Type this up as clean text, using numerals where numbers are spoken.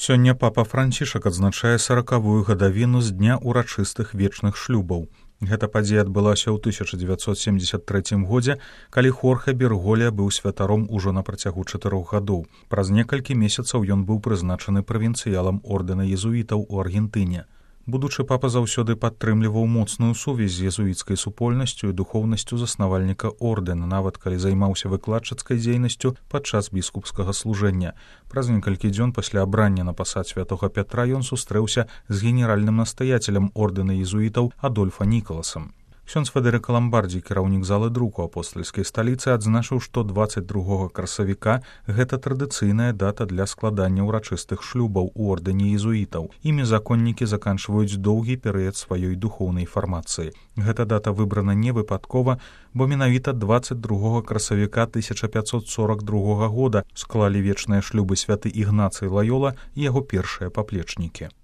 Сёння папа Францішак адзначае 40-ю гадавіну з дня ўрачыстых вечных шлюбаў. Гэта падзея адбылася ў 1973 годзе, калі Хорхе Берголя быў святаром ужо на працягу 4 гадоў. Праз некалькі месяцаў ён быў прызначаны правінцыялам ордэна езуітаў у Аргентыне. Будучы папа заўсёды падтрымліваў моцную сувязь з езуіцкай супольнасцю і духоўнасцю заснавальніка ордэна, нават калі займаўся выкладчыцкай дзейнасцю падчас біскупскага служэння. Праз некалькі дзён пасля абрання на пасад святога Пятра ён сустрэўся з генеральным настаяцелем ордэна езуітаў Адольфа Нікаласам. Ксёндз Федэрыка Ламбардзі, кіраўнік залы друку апостальскай сталіцы, адзначыў, што 22 красавіка гэта традыцыйная дата для складання ўрачыстых шлюбаў у ордэне езуітаў. Імі законнікі заканчваюць доўгі перыяд сваёй духоўнай фармацыі. Гэта дата выбрана не выпадкова, бо менавіта 22 красавіка 1542 года склалі вечныя шлюбы святы Ігнацый Лаёла і яго першыя паплечнікі.